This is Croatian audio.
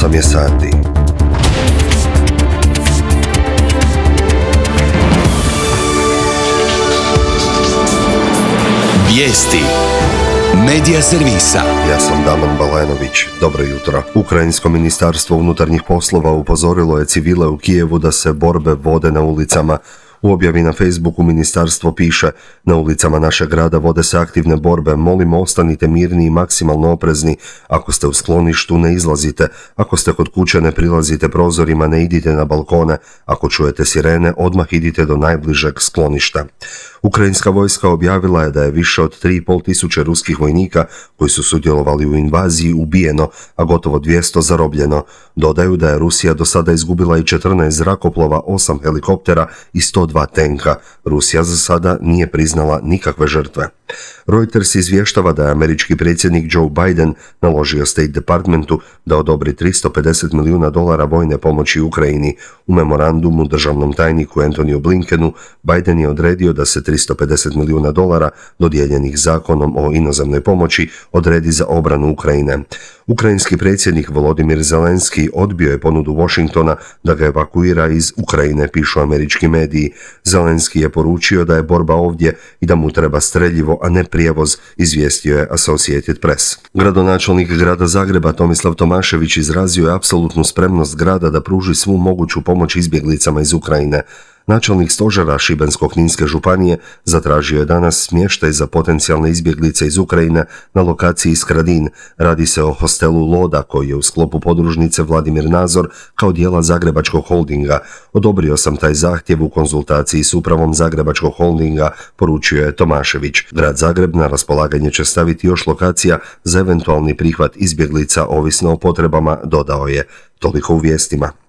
8 je sati. Vijesti Medija servisa. Ja sam Damon Balenović. Dobro jutro. Ukrajinsko ministarstvo unutarnjih poslova upozorilo je civile u Kijevu da se borbe vode na ulicama. U objavi na Facebooku ministarstvo piše: na ulicama našeg grada vode se aktivne borbe, molimo ostanite mirni i maksimalno oprezni. Ako ste u skloništu, ne izlazite. Ako ste kod kuće, ne prilazite prozorima, ne idite na balkone. Ako čujete sirene, odmah idite do najbližeg skloništa. Ukrajinska vojska objavila je da je više od 3.500 ruskih vojnika koji su sudjelovali u invaziji ubijeno, a gotovo 200 zarobljeno. Dodaju da je Rusija do sada izgubila i 14 zrakoplova, 8 helikoptera i 102 tenka. Rusija za sada nije priznala nikakve žrtve. Reuters izvještava da je američki predsjednik Joe Biden naložio State Departmentu da odobri $350 milijuna vojne pomoći Ukrajini. U memorandumu državnom tajniku Antoniju Blinkenu Biden je odredio da se $350 milijuna dodijeljenih zakonom o inozemnoj pomoći odredi za obranu Ukrajine. Ukrajinski predsjednik Volodymyr Zelenski odbio je ponudu Washingtona da ga evakuira iz Ukrajine, pišu američki mediji. Zelenski je poručio da je borba ovdje i da mu treba streljivo, a ne prijevoz, izvijestio je Associated Press. Gradonačelnik grada Zagreba Tomislav Tomašević izrazio je apsolutnu spremnost grada da pruži svu moguću pomoć izbjeglicama iz Ukrajine. Načelnik stožera Šibensko-kninske županije zatražio je danas smještaj za potencijalne izbjeglice iz Ukrajine na lokaciji Skradin. Radi se o hostelu Loda koji je u sklopu podružnice Vladimir Nazor kao dijela Zagrebačkog holdinga. Odobrio sam taj zahtjev u konzultaciji s upravom Zagrebačkog holdinga, poručio je Tomašević. Grad Zagreb na raspolaganje će staviti još lokacija za eventualni prihvat izbjeglica ovisno o potrebama, dodao je. Toliko u vijestima.